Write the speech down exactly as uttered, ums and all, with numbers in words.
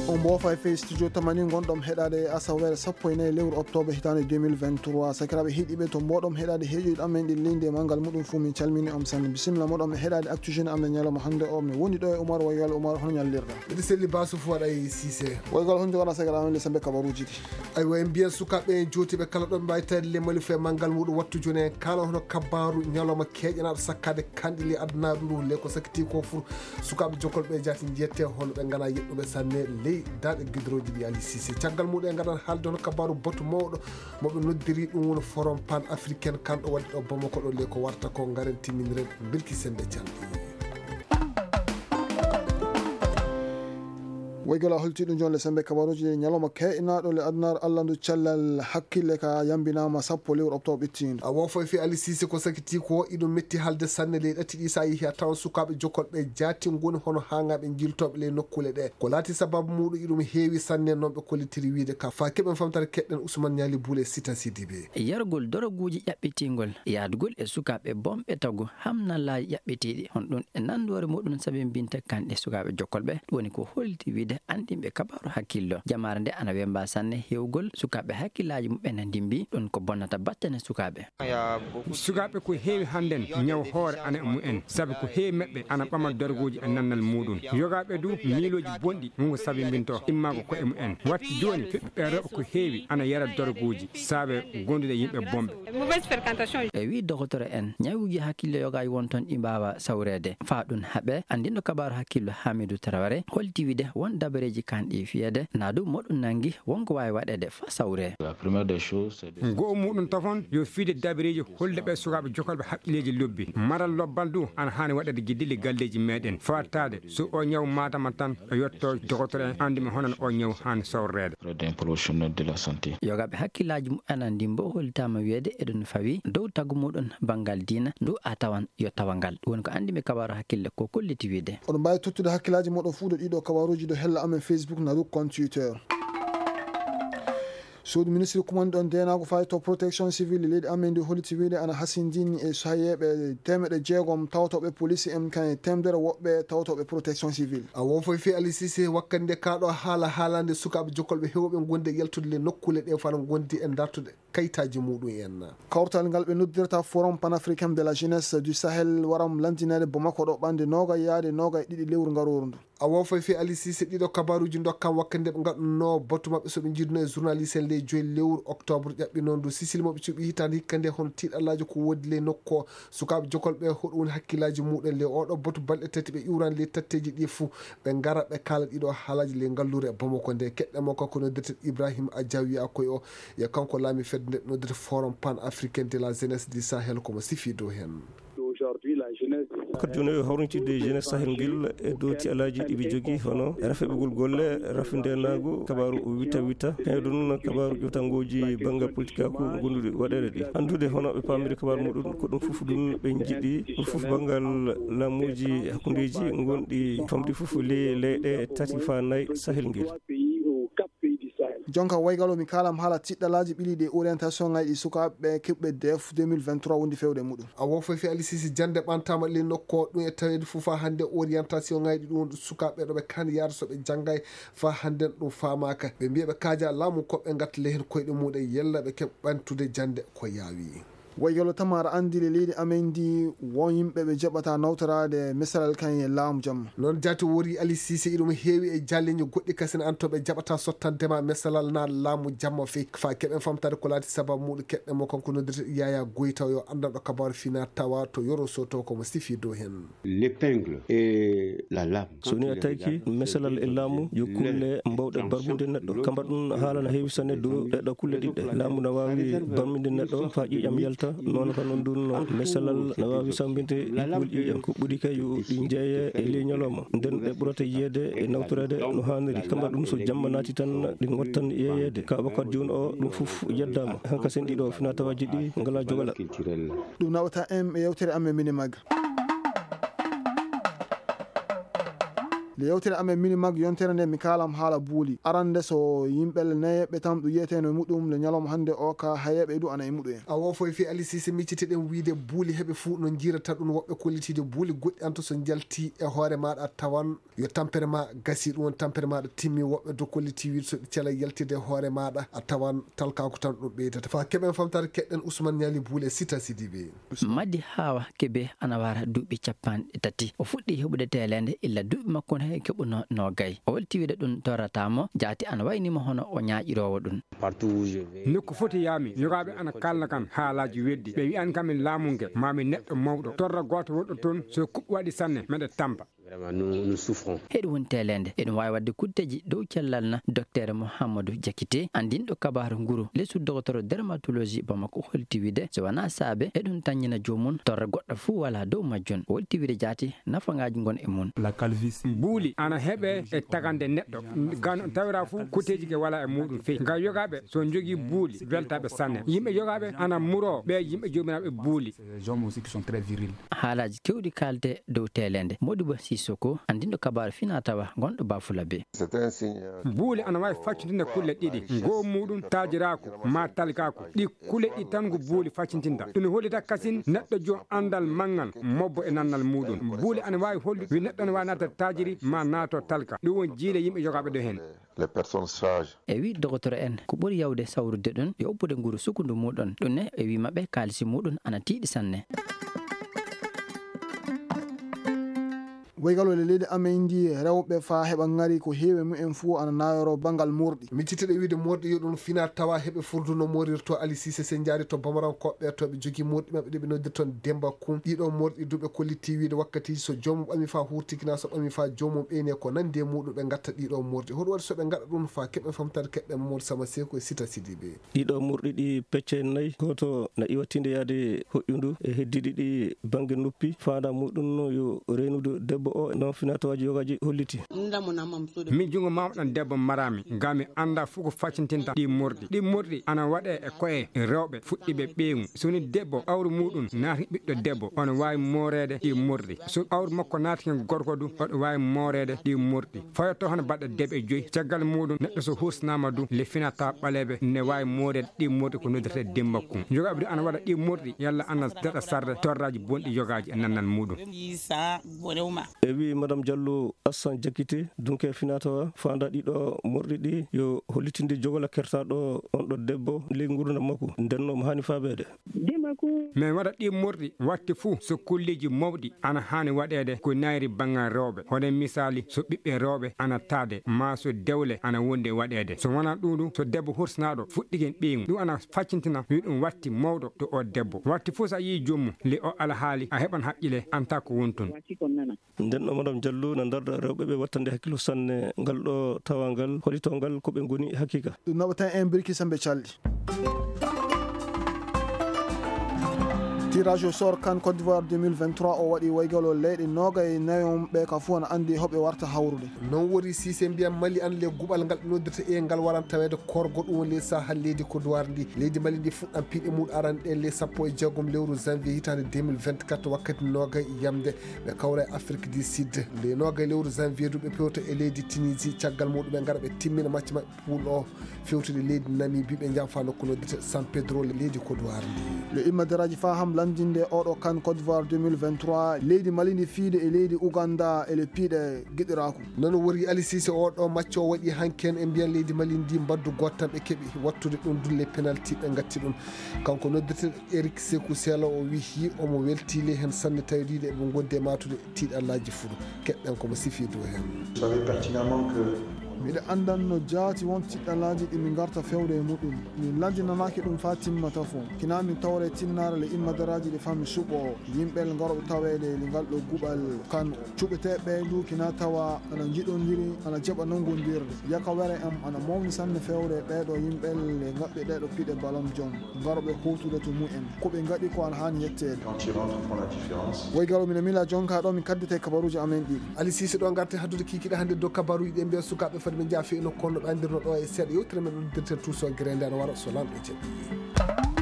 On mboofa e fey studio tamani ngonɗon heɗaade e asaweere sappo e nayi lewru oktoobre hitaande deux mille vingt-trois. Sakiraaɓe heɗiiɓe, to mbooɗon heɗaade heeƴoyɗi amen ɗi leydi e manngal muɗum fuu, min calmini on sanne. Bisimilla moɗon e heɗaade Actu Jeune amen ñalawma hannde o. Mi woni ɗo e Umar Wayal. Umar, hono ñallirɗaa? Miɗo selli baasu fuu waɗa e Siise. Waygal, hono njogoɗaa sakiraaɓe amen le sembe kabaruuji ɗi? Aywa, en mbiyan sukaaɓe en jootiiɓe kala ɗo ɓe mbaawi taweede le mali fuu e manngal muɗum wattu jooni en kaala hono kabaaru ñalawma keeƴanaaɗo sakkaade kanɗi ley adunaaru ndu. Le ko sakitii ko fuu sukaaɓe jokolɓe jaati njiyete hono ɓe nganaa yeɗɗuɓe sanne ley daaɗe gidorooji ɗi. Ali Siise, caggal muɗum en ngaɗan haalde hono kabaaru batu mawɗo mo ɓe noddiri ɗum woni Forum Pan Africain kan ɗo waɗi ɗo Bamako ɗo. Le ko warta ko ngaren timminiren mbirki sembe canɗi. Woygol a holti ɗum jooni le sembe kabaruuji ɗi ñalawma keeƴanaaɗo le adunaaru Alla ndu cellal hakkille ka yambinaama sappo lewru oktoobre ɓittiindu. A woo foy fii Ali Siise ko sakitii ko iɗum metti haalde sanne ley ɗati ɗi so a yehii a tawan sukaaɓe jokolɓe jaati ngoni hono haaŋaaɓe njiiltooɓe ley nokkuule ɗee. Ko laati sabaabu muuɗum iɗum heewi sanne non ɓe kollitiri wiide ka. Faa keɓen famtare keɗɗen Usman Ñaali Buule Sita Sidibe. Yargol doroguuji ƴaɓɓitingol, yaadugol e sukaaɓe bonɓe tagu, hamnallaaji ƴaɓɓitiiɗi. Hono ɗum e nanndoore muɗum sabimbinta kanɗe sukaaɓe jokkolɓe. Ɗum woni ko holliti wiide anndinɓe kabaaru hakkillo. Jamaare nde ana wemba sanne heewgol sukaaɓe hakkillaaji muɓɓen na ndimbi. Ɗum ko bonnata battane sukaaɓe. Sukaaɓe ko heewi hannden ñaw hoore ana e mumen, sabi ko heewi maɓɓe ana ɓama dorgooji e nannal muɗum. Yogaaɓe du miilooji bonɗi wonko sabimbintoo immaango ko'e mumen. Watti jooni, fiɓɓe rewɓe ko heewi ana yara dorgooji saabe gondude yimɓe bonɓe. E wii dokotoro en, ñawuuji hakkille yogaaji won ton ɗi mbaawa sawreede. Faa ɗum haɓee, anndinɗo kabaaru hakkillo Haamidu Taraware holti wiide won dabareeji kanɗi fiyeede, naa du moɗum nanngi wonko waawi waɗeede faa sawree. Go'o muɗum tafon yo fiide dabareeji holde ɓe sukaaɓe jokolɓe hakkilleeji lobbi. Maral lobbal du ana haani waɗeede giddille galleeji meɗen. Faattaade so o ñaw maatama tan o yotto dokotoro en anndi mo hono no o ñaw haani sawreede. Yogaaɓe hakkillaaji muɓɓen ana ndimbo hollitaama wiyeede eɗum fawii dow tagu muɗum banngal diina ndu a tawan yo tawa ngal. Ɗum woni ko anndinɓe kabaaru hakkille ko kolliti wiide. Oɗon mbaawi tottude hakkillaaji moɗon fuu ɗo ɗiɗo kabaaruuji ɗo hella amen Facebook naa du compte Twitter. Suudu ministiri kumanɗo ndeenaagu faa e to protection civile leydi amen ndi holliti wiide ana hasindini e saheeɓe teemeɗɗe jeegom tawtooɓe poliisi en kan e teemedere woɓɓe tawtooɓe protection civile. A woo foy fii Ali Siise wakkati nde kaa ɗoo haala haalande sukaaɓe jokolɓe heewɓe gonde yaltude le nokkuule ɗee faa no ngondi e dartude kayitaaji muɗum en. Kawtal ngal ɓe noddirta Forum Panafricain de la Jeunesse du Sahel waram lanndinaade Bamako ɗo ɓannde noogay yaade noogay ɗiɗi lewru ngarooru ndu. A woo foy fii Ali Siise ɗiɗo kabaaruuji ndokkam wakkati nde ɓe ngaɗuno batu maɓɓe so ɓe njiiduno e journaliste en ley joyi lewru oktoobre ƴaɓɓinoo ndu. Sisili mo ɓe cuɓi hitaande hikka nde hono tiiɗallaaji ko woodi ley nokku o. Sukaaɓe jokolɓe hoɗum woni hakkillaaji muɗum ley oo ɗoo batu balɗe tati ɓe iwraani ley tatteeji ɗii fuu. Ɓe ngara ɓe kaala ɗiɗo haalaaji ley ngalluure Bamako nde keɗɗen mo kanko noddirte Ibrahim Ajaw wiyaa koy o. Yo kanko laami fedde nde noddirte Forum Pan Africain de la Jeunesse du Sahel ko mo sifii dow heen. Wakkati jooni o hawrintidde jeunesse Sahel ngel e dow tiiɗallaaji ɗi ɓe jogii hono rafiɓugol golle, rafindeenaagu, kabaaru witta witta. Kañum ɗum kabaaru ƴoftangooji banngal politikaaku ngonduɗi waɗeede ɗi. Anndude hono ɓe paamiri kabaaru muɗum ko ɗum fof ɗum ɓe njiɗi ɗum fof banngal laamuuji hakkundeeji ngonɗi famɗi fof ley leyɗe tati faa nayi Sahel ngel. Jonka waygal o mi kaalam haala tiiɗallaaji ɓiliiɗi e orientation ŋaaji ɗi sukaaɓe keɓɓe D F deux mille vingt-trois wondi fewde muɗum. A woo foy fii Ali Siise jannde ɓantaama ley nokku o ɗum e taweede fof faa hannde orientation ŋaaji ɗi ɗum woni ɗum sukaaɓe ɗo ɓe kaani yaade so ɓe janngay faa hannden ɗum faamaaka. Ɓe mbiya ɓe kaaja laamu ko ɓe ngatta ley heen koyɗe muɗum yella ɓe keɓa ɓamtude jannde ko yaawi. Waygal o tama aɗa anndi le leydi amen ndi won yimɓe ɓe jaɓata nawtoraade mesalal kan e laamu jamma. Noon jaati wori Ali Siise iɗum heewi e jaalleeji goɗɗi kasen an to ɓe jaɓata sottande ma mesalal naa laamu jamma fii faa keɓen famtaade ko laati sabaabu muɗum keɗɗen mo kanko noddirte Yaya Goyta o yo anndanɗo kabaaru fina tawa to Yoro Soto ko mo sifii dow heen. L'épingle et la lame. So ni a tawki mesalal e laamu yo kulle mbawɗe barmude neɗɗo. Kamba ɗum haala na heewi sanne dow ɗeɗo kulle ɗiɗɗe. Laamu na waawi barminde neɗɗo faa ƴiiƴam yalta. Noon ka noon ɗum noon mesalal na waawi sambinde kuul ƴiiƴam. Ko ɓuri kay yo ɗi njeeye e ley ñalawma. Nden ɗe ɓurata yiyeede e nawtoreede no haaniri. Kamba ɗum so jamma naati tan ɗi ngottan yeeyeede. Ka wakkati jooni o ɗum fof yeddaama. Hanka sen ɗiɗo finaa tawaaji ɗi ngalaa jogala. Ɗum nawata en e yewtere amen mini magga. Nde yewtere amen Minimag yontere nde mi kaalam haala buuli. Arande so yimɓe le nayeɓɓe tan ɗum yiyeteno e muɗum le ñalawma hannde o ka hayeɓe du ana e muɗum en. A woo foy fii Alisiise miccitiɗen wiide buuli heɓe fuu no njiirata ɗum woɓɓe kollitiide buuli goɗɗi an to so njalti e hoore maaɗa a tawan yo tampere ma gasi ɗum woni tampere maaɗa timmi woɓɓe do kolliti wiide so ɗi cela yaltide e hoore maaɗa a tawan talkaaku tan ɗum ɓeydata. Faa keɓen famtaade keɗɗen Usman Ñaali buuli e Sita Sidibe. Madi Hawa Kebe ana wara duuɓi cappanɗe tati. O fuɗɗii heɓude teeleende illa duuɓi makko no he keɓunoo noogay. O welti wiide ɗum torrataa mo, jaati ana waynii mo hono o ñaaƴiroowo ɗum. Nokku foti yaami, yogaaɓe ana kaalna kam haalaaji weddi. Ɓe wi'an kam e laamu nge, maa mi neɗɗo mawɗo. Torra gooto wonɗo toon, so kuɓɓi waɗi sanne, meɗe tampa. Vraiment, nous, nous souffrons. Heɗum woni teeleende. Eɗum waawi waɗde kutteeji dow cellal na. Dokteer Mouhamadou Diakité, anndinɗo kabaaru nguru, lesu dogotoro dermatologie Bamako, holti wiide, so wanaa saabe, eɗum tanñina joomum, torra goɗɗo fuu walaa dow majjum. O holti wiide jaati, nafangaaji ngon e mum. La calvitie. Buuli ana heɓe e tagande neɗɗo. Gan tawira fuu, kutteeji ke walaa e muɗum fey. Nga yogaaɓe, so njogii buuli, weltaaɓe sanne. Yimɓe yogaaɓe ana muroo, ɓe yimɓe joomiraaɓe buuli. Les hommes aussi qui sont très virils. Haalaaji keewɗi kaalde dow teeleende. Modibo Sissoko, anndinɗo kabaaru finaa tawa, gonɗo Bafulabe. Buuli ana waawi faccintinde kulle ɗiɗi. Ngoo muuɗum taajiraaku, maa talkaaku. Ɗi kulle ɗiɗi tan ngu buuli faccintinta. Ɗum hollita kasin neɗɗo jo anndal manngal, mobbo e nannal muuɗum. Buuli ana waawi hollude wi neɗɗo ana waawi naata taajiri, maa naato talka. Ɗum woni jiile yimɓe yogaaɓe ɗo heen. Les personnes sages. E wii dogotoro en, ko ɓuri yawde sawrude ɗum, yo oppude nguru sukundu muuɗum. Ɗum ne, e wii maɓɓe, kaalisi muuɗum ana tiiɗi sanne. Woygalol e leydi amen ndi, rewɓe faa heɓa ŋari ko heewi e mumen fuu ana nayoroo banngal morɗi. Miccitiiɗo wiide morɗi yo ɗum fina tawa heɓe furdu no morirtoo. Ali Siise, so en njaari to Bamarankooɓe to ɓe jogii morɗi maɓɓe ɗi ɓe noddirta toon Demba Kum. Ɗiɗo morɗi du ɓe kollitii wiide wakkatiiji so joomum ɓami faa huurtiki naa so ɓami faa joomum ɓeyni e ko nanndi e muuɗum ɓe ngatta ɗiɗo morɗi. Hoɗum waɗi so ɓe ngaɗa ɗum faa keɓen famtaade keɓɓe Mamadou Sama Seeku e Sita Sidibe. Ɗiɗo morɗi ɗi pecce nay, gooto na iwa tiinde yaade hoƴƴundu e heddiiɗi ɗi bannge noppi. Faandaa muuɗum no yo reenude debbo o, non finaa tawaaji yogaaji holliti. Min junngo maama ɗan debbo maraami, ngam mi anndaa fuu ko faccintinta ɗi morɗi. Ɗi morɗi ana waɗee e ko'e rewɓe fuɗɗiiɓe ɓeyngu. So woni debbo awru muuɗum naati ɓiɗɗo debbo, ono waawi mooreede ɗi morɗi. So awru makko naati hen gorko du, oɗo waawi mooreede ɗi morɗi. Fayotoo hono baɗɗo deeɓi joy. Caggal muuɗum, neɗɗo so hursinaama du, le finaa tawaa ɓaleeɓe ne waawi mooreede ɗi morɗi ko noddirtee Demba Kum. Yogaaɓe du ana waɗa ɗi morɗi, yalla ana daɗa sarde torraaji bonɗi yogaaji e nannal muuɗum. E wii Madame Diallo Assane Diakité, dunke finaa tawaa, faandaa ɗiɗo morɗi ɗi yo hollitinde jogola kertaaɗo on ɗo debbo ley nguurndam makko, nden no mo haani faabeede. Min waɗa ɗi morɗi wakti fuu so kulleeji mawɗi ana haani waɗeede ko nayri banngal rewɓe. Hono misaali, so ɓiɓɓe rewɓe ana taade, maa so dewle ana wondi e waɗeede. So wanaa ɗum ɗum, so debbo hursinaaɗo fuɗɗike ɓeyngu, ɗum ana faccintina, wi ɗum wakti mawɗo to oo debbo. Wakti fuu so a yii joomum, le o alhaali, a heɓan haqqille, antaa ko woni toon. Nden ɗo Madame Diallo na ndarda rewɓe ɓe wattande hakkillo sanne ngal ɗo tawangal, holito ngal ko ɓe ngoni hakiika. Ɗum naɓata en birki sembe calɗi. Tirage au sort CAN Côte d'Ivoire deux mille vingt-trois o waɗi woygalol leyɗe noogay nayon ɓe ka fuu ana anndi hoɓe warta hawrude. Non woni si se mbiyan Mali an le guɓal ngal ɓe noddirta e ngal waran taweede korgo ɗum woni ley saha leydi Côte d'Ivoire ndi. Leydi Mali ndi fuɗɗan piɗe mum aranɗe ley sappo e jeegom lewru janvier hitaande deux mille vingt-quatre wakkati noogay yamde. Ɓe kawra e Afrique du Sud. Nde noogay lewru janvier du ɓe pewta e leydi Tunisie, caggal muɗum ɓe ngara ɓe timmina macce maɓɓe pool o, fewtude leydi Namibie, ɓe njaafa nokku noddirte San Pedro, leydi Côte d'Ivoire ndi. Yo immadaraaji faa ham lanndinde oɗo CAN Côte d'Ivoire deux mille vingt-trois, leydi Mali ndi fiide e leydi Ouganda e le piɗe giɗiraaku. Non wori Ali Cissé, oɗo macco o waɗi hanki en, e mbiyan leydi Mali ndi mbaddu gooto tan ɓe keɓi wattude ɗum dulle penalti ɓe ngatti ɗum. Kanko noddirte Eric Sekou Sela o wiyi omo weltii ley heen sanne, tawi ɗiɗo eɓe ngondi e maatude tiiɗallaaji fuu. Keɗɗen ko mo sifiidu heen. Vous savez pertinemment que miɗo anndanno jaati won tiiɗallaaji ɗi min ngarta fewde e muɗum. Min lanndinanaaki ɗum faa timma tafo. Kinaa min tawre tinnaare le immadaraaji ɗi faa mi suɓoo yimɓe ngarooɓe taweede e ngal ɗo guɓal kan. Cuɓeteeɓe ɓee duu kinaa tawa ana njiɗondiri, ana jaɓa nanngondirde. Yakawere am ana mawni sanne fewde e ɓee ɗoo yimɓe le ngaɓɓi ɗee ɗoo piɗe ballon d'or. Ngarooɓe hootude to mumen. Ko ɓe ngaɗi ko ana haani yetteede. Quand ils rentrent font la différence. Woy Galo, mino miila jonkaa ɗoo min kaddete kabaruuji amen ɗii. Ali Siise ɗoo ngarten haddude kiikiiɗe hannde dow kabaruuji ɗii, mbiya sukaaɓe fade ɓe njaha fii e nokku kono ɗo anndirno ɗoo e seeɗa yewtere men ɗo dirten tuuso gereende ana wara so Lanɗo jaɓii.